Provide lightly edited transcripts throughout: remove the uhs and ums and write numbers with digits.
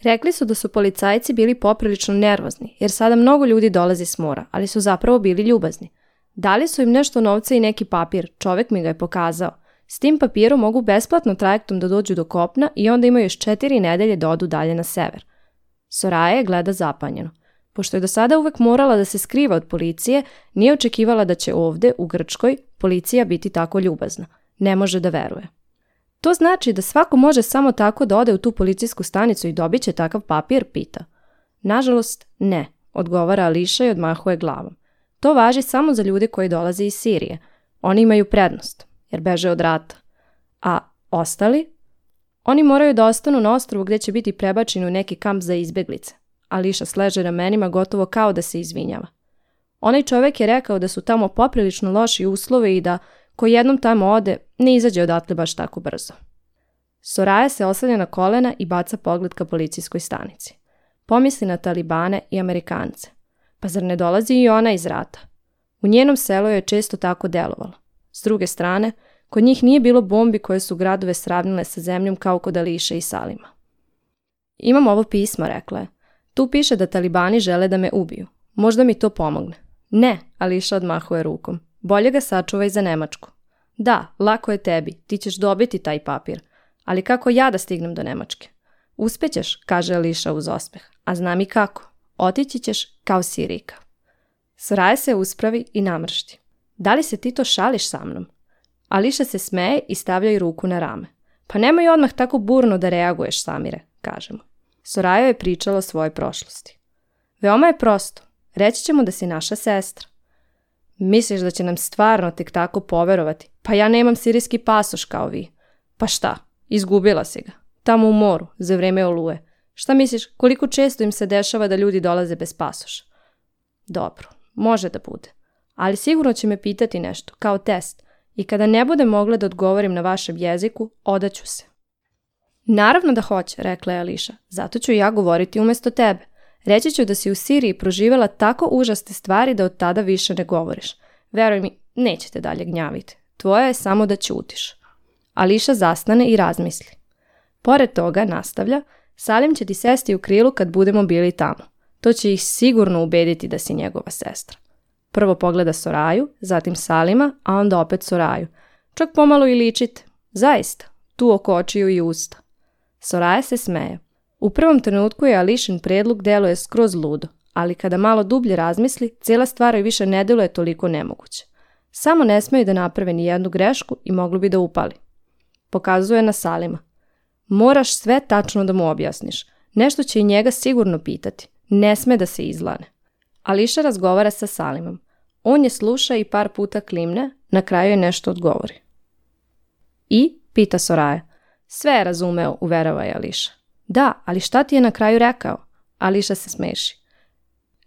Rekli su da su policajci bili poprilično nervozni, jer sada mnogo ljudi dolazi s mora, ali su zapravo bili ljubazni. Dali su im nešto novca i neki papir, čovek mi ga je pokazao. S tim papirom mogu besplatno trajektom da dođu do kopna i onda imaju još 4 nedelje da odu dalje na sever. Soraya je gleda zapanjeno. Pošto je do sada uvek morala da se skriva od policije, nije očekivala da će ovde, u Grčkoj, policija biti tako ljubazna. Ne može da veruje. To znači da svako može samo tako da ode u tu policijsku stanicu i dobit će takav papir, pita. Nažalost, ne, odgovara Ališa i odmahuje glavom. To važi samo za ljude koji dolaze iz Sirije. Oni imaju prednost, jer beže od rata. A ostali? Oni moraju da ostanu na ostrvu gdje će biti prebačeni u neki kamp za izbeglice. Ališa sleže ramenima gotovo kao da se izvinjava. Onaj čovjek je rekao da su tamo poprilično loši uslovi i da ko jednom tamo ode, ne izađe odatle baš tako brzo. Soraya se oslanja na kolena i baca pogled ka policijskoj stanici. Pomisli na Talibane i Amerikance. Pa zar ne dolazi i ona iz rata? U njenom selu je često tako delovalo. S druge strane, kod njih nije bilo bombi koje su gradove sravnile sa zemljom kao kod Ališe i Salima. Imam ovo pismo, rekla je. Tu piše da Talibani žele da me ubiju. Možda mi to pomogne. Ne, Ališa odmahuje rukom. Bolje ga sačuvaj za Nemačku. Da, lako je tebi, ti ćeš dobiti taj papir. Ali kako ja da stignem do Nemačke? Uspećeš, kaže Ališa uz osmeh. A znam i kako. Otići ćeš kao Sirijka. Soraya se uspravi i namršti. Da li se ti to šališ sa mnom? Ališa se smeje i stavlja joj ruku na rame. Pa nemoj odmah tako burno da reaguješ, Samire, kaže mu. Soraya je pričala o svojoj prošlosti. Veoma je prosto. Reći ćemo da si naša sestra. Misliš da će nam stvarno tek tako poverovati? Pa ja nemam sirijski pasoš kao vi. Pa šta? Izgubila si ga. Tamo u moru, za vreme oluje. Šta misliš, koliko često im se dešava da ljudi dolaze bez pasoša? Dobro, može da bude. Ali sigurno će me pitati nešto, kao test. I kada ne bude mogla da odgovorim na vašem jeziku, odaću se. Naravno da hoće, rekla je Ališa. Zato ću ja govoriti umjesto tebe. Reći ću da si u Siriji proživjela tako užasne stvari da od tada više ne govoriš. Veruj mi, nećete dalje gnjaviti. Tvoje je samo da ćutiš. Ališa zastane i razmisli. Pored toga, nastavlja, Salim će ti sesti u krilu kad budemo bili tamo. To će ih sigurno ubediti da si njegova sestra. Prvo pogleda Soraju, zatim Salima, a onda opet Soraju. Čak pomalo i ličite. Zaista, tu oko očiju i usta. Soraya se smeje. U prvom trenutku je Ališin predlog deluje skroz ludo, ali kada malo dublje razmisli, cijela stvar joj više ne deluje toliko nemoguće. Samo ne smeju da naprave ni jednu grešku i mogli bi da upali. Pokazuje na Salima. Moraš sve tačno da mu objasniš. Nešto će i njega sigurno pitati. Ne sme da se izlane. Ališa razgovara sa Salimom. On je sluša i par puta klimne, na kraju je nešto odgovori. I, pita Soraya. Sve je razumeo, uverava je Ališa. Da, ali šta ti je na kraju rekao? Ališa se smeši.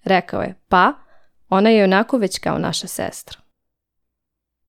Rekao je, pa, ona je onako već kao naša sestra.